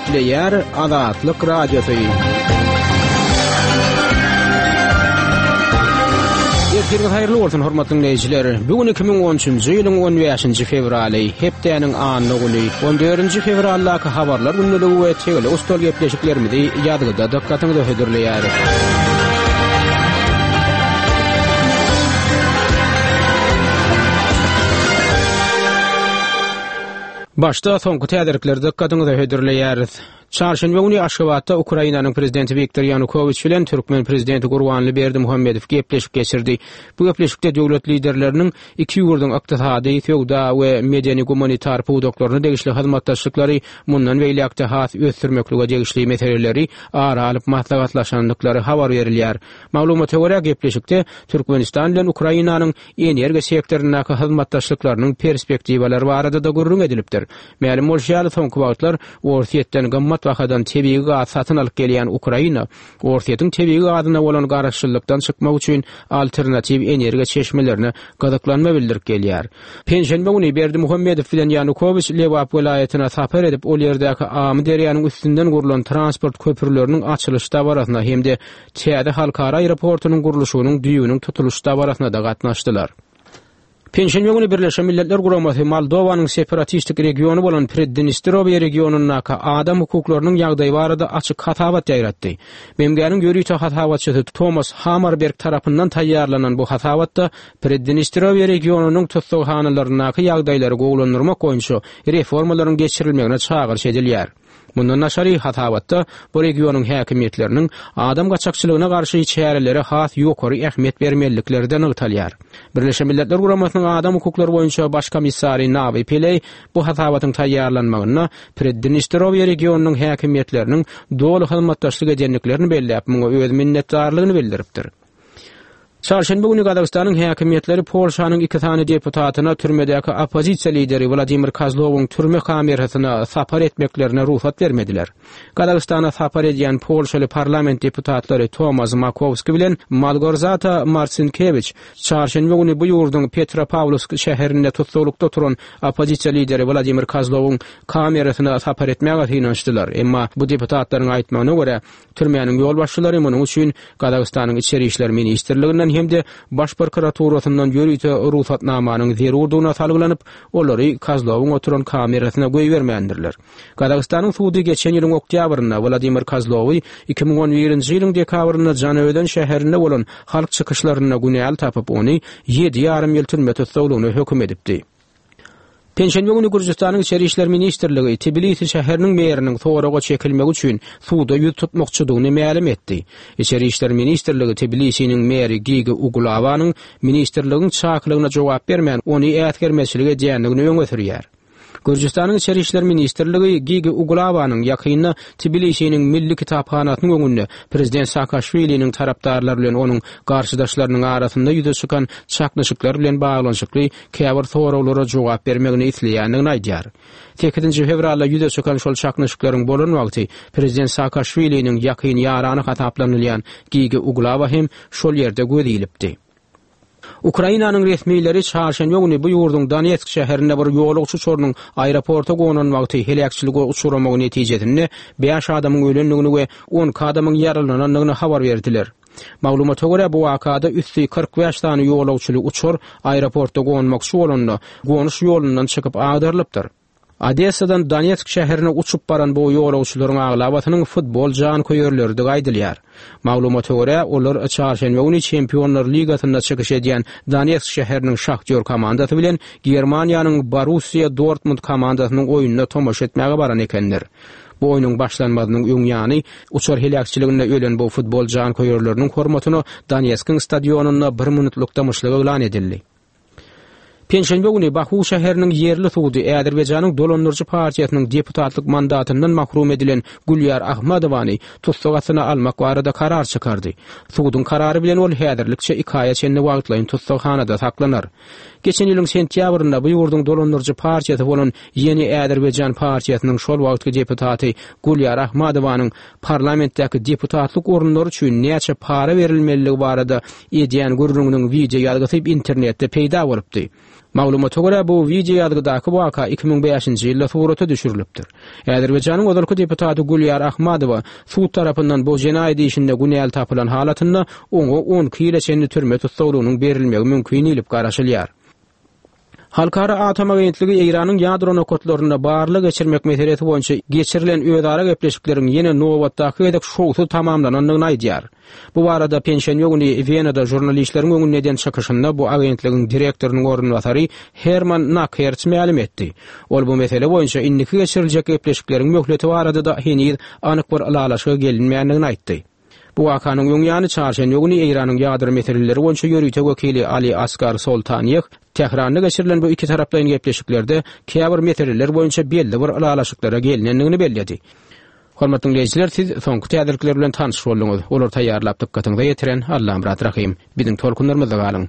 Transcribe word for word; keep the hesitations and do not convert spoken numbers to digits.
Gepleýär Azatlyk Radiosy. Ertiriňiz haýyrly bolsun, hormatly dinleýjiler. Bu gün iki müň on üçünji ýylyň on bäşinji fewraly, hepdäniň anna güni, on dördünji fewraldaky habarlar gündeligi we tegelek stol gepleşiklerimizi ýazgyda dykgatyňyza hödürleýäris. Başda soňky täzelikleri dykgatyňyza hödürleýäris. Çarşenbe güni Aşgabatda Ukrainanyň prezidenti Wiktor Ýanukowiç bilen türkmen prezidenti Gurbanguly Berdimuhamedow gepleşik geçirdi. Bu gepleşikde döwlet liderleriniň iki ýurduň ykdysady, söwda we medeni-gumanitar pudaklaryna degişli hyzmatdaşlyklary mundan beýläk-de has ösdürmeklige degişli meseleleri ara alyp maslahatlaşandyklary habar berilýär. Maglumata görä, gepleşikde Türkmenistan bilen Ukrainanyň energiýa sektoryndaky hyzmatdaşlyklarynyň perspektiwalary barada-da gürrüň edilipdir. Mälim bolşy ýaly, soňky wagtlar Orsýetden gymmat bahadan tebigy gaz satyn alyp gelýän Ukraina, Orsýetiň tebigy gazyna bolan garaşsyzlykdan çykmak üçin alternatiw energiýa çeşmelerine gyzyklanma bildirip gelýär. Penşenbe güni Berdimuhamedow bilen Ýanukowiç Lebap welaýatyna sapar edip, ol ýerdäki Amy derýanyň üstünden gurlan transport köprüleriniň açylyş dabarasyna hem-de täze halkara aeroportunyň gurluşygynyň düýbüniň tutulyş dabarasyna-da gatnaşdylar. Penşenbe güni Birleşen Milletler Guramasy Moldowanyň separatistik regiony bolan Preddnestrowýe regionyndaky adam hukuklarynyň ýagdaýy barada açyk hasabat ýaýratdy. B M G-niň ýörite hasabatçysy Thomas Hammarberg tarapyndan taýýarlanan bu hasabatda Preddnestrowýe regionynyň tussaghanalaryndaky ýagdaýlary gowulandyrmak boýunça reformalaryň geçirilmegine çagyryş edilýär. Mundan daşary hasabatda bu regionyň häkimiýetleriniň adam gaçakçylygyna garşy çärelere has ýokary ähmiýet bermelilikleri de nygtalýar. Birleşen Milletler Guramasynyň adam hukuklary boýunça baş komissary Nawi Pillay bu hasabatyň taýýarlanmagynda Preddnestrowýe regionynyň häkimiýetleriniň doly hyzmatdaşlyk edendiklerini belläp, muňa öz minnetdarlygyny bildiripdir. Çarşenbe güni Gazagystanyň häkimiýetleri Polşanyň iki sany deputatyna türmedäki oppozisiýa lideri Wladimir Kozlowyň türme kamerasyna sapar etmeklerine rugsat bermediler. Gazagystana sapar edýän Polşaly parlament deputatlary Tomasz Makowski bilen Malgorzata Marcinkiewicz çarşenbe güni bu ýurduň Petropavlovsk şäherinde tutsaglykda oturan oppozisiýa lideri Wladimir Kozlowyň kamerasyna sapar etmäge synanyşdylar. Emma bu deputatlaryň aýtmagyna görä, türmäniň ýolbaşçylary munuň üçin Gazagystanyň Içeri İşler Ministrliginden hem-de Baş prokuraturasyndan ýörite rugsatnamanyň zerurdygyna salgylanyp, olary Kozlowyň oturan kamerasyna goýbermändirler. Gazagystanyň sudy geçen ýylyň oktýabrynda Wladimir Kozlowy iki müň on birinji ýylyň dekabrynda Janaözen şäherinde bolan halk çykyşlarynda günäli tapyp, ony ýedi ýarym ýyl türme tussaglygyna höküm edipdi. Penşenbe güni Gürjüstanyň Içeri İşler Ministrligi Tbilisi şäheriniň meriniň soraga çekilmegi üçin suda ýüz tutmakçydygyny mälim etdi. İçeri İşler Ministrligi Tbilisiniň meri Gigi Ugulawanyň ministrligiň çakylygyna jogap bermän, ony äsgermezçilik edýändigini öňe sürýär. Gürjüstanyň Içeri İşler Ministrligi Gigi Ugulawanyň ýakynda Tbilisiniň Milli Kitaphanasynyň öňünde Prezident Saakaşwiliniň tarapdarlary bilen onuň garşydaşlarynyň arasynda ýüze çykan çaknyşyklar bilen baglanyşykly käbir soraglara jogap bermegini isleýändigini aýdýar. Sekizinji fewralda ýüze çykan şol çaknyşyklaryň bolan wagty Prezident Saakaşwiliniň ýakyn ýarany hasaplanylýan Gigi Ugulawa hem şol ýerde göz ilipdi. Ukrainanyň resmileri çarşenbe güni bu ýurduň Donetsk şäherinde bir ýolagçy uçarynyň aeroporta gonan wagty heläkçilige uçramagy netijesinde bäş adamyň ölendigini we on iki adamyň ýaralanandygyny habar berdiler. Maglumata görä, bu wakada üsti kyrk bäş sany ýolagçyly uçar aeroportda gonmakçy bolanda gonuş ýolundan çykyp agdarylypdyr. Odessadan Donetsk şäherine uçup baran bu ýolagçylaryň aglabasynyň futbol janköýerleridir aýdylýar. Maglumata görä, olar çarşenbe güni Çempionlar Ligasynda çykyş edýän Donetsk şäheriniň Şahtýor komandasy bilen Germaniýanyň Borussia Dortmund komandasynyň oýnuna tomaşa etmäge baran ekenler. Bu oýnuň başlanmazynyň öň ýany uçar heläkçiliginde ölen bu futbol janköýerleriniň hormatyna Donetskiň stadionynda bir minutlyk dymyşlyk yglan edildi. Penşenbe güni Baku şäheriniň ýerli sudy Azerbaýjanyň dolandyryjy partiýasynyň deputatlyk mandatyndan mahrum edilen Gülýar Ahmadowany tussag astyna almak barada karar çykardy. Suduň karary bilen ol häzirlikçe iki aýa çenli wagtlaýyn tussaghanada saklanar. Geçen ýylyň sentýabrynda bu ýurduň dolandyryjy partiýasy bolan Ýeni Azerbaýjan partiýasynyň şol wagtky deputaty Gülýar Ahmadowanyň parlamentdäki deputatlyk orunlary üçin näçe para berilmeliligi barada edýän gürrüňiniň video ýazgysy internetde peýda bolupdy. Maglumata görä, bu wideo ýazgydaky waka iki müň bäşinji ýylda surata düşürilipdir. Azerbaýjanyň ozalky deputaty Gülýar Ahmadowa sud tarapyndan bu jenaýat işinde günäli tapylan halatynda oňa on iki ýyla çenli türme tussaglygynyň berilmegi mümkin diýlip garaşylýar. Halkara atom agentligi Eýranyň ýadro nokatlarynda barlag geçirmek meselesi boýunça geçirilen özara gepleşikleriň ýene nobatdaky gezek şowsuz tamamlanandygyny aýdýar. Bu barada penşenbe güni Wenada žurnalistleriň öňünde eden çykyşynda bu agentligiň direktorynyň orunbasary Herman Nakherts mälim etdi. Ol bu mesele boýunça indiki geçiriljek gepleşikleriň möhleti barada-da heniz anyk bir ylalaşyga gelinmändigini aýtdy. Bu wakanyň öň ýany çarşenbe güni Eýranyň ýadro meseleleri boýunça ýörite wekili Ali Asgar Soltaniýeh Tähranda geçirilen bu iki taraplaýyn gepleşiklerde käbir meseleler boýunça belli bir ylalaşyklara gelinendigini belledi. Hormatly diňleýjiler, siz soňky täzelikler bilen tanyş bolduňyz. Olary taýýarlap dykgatyňyza ýetiren Allamyrat Rahym. Biziň tolkunlarymyzda galyň.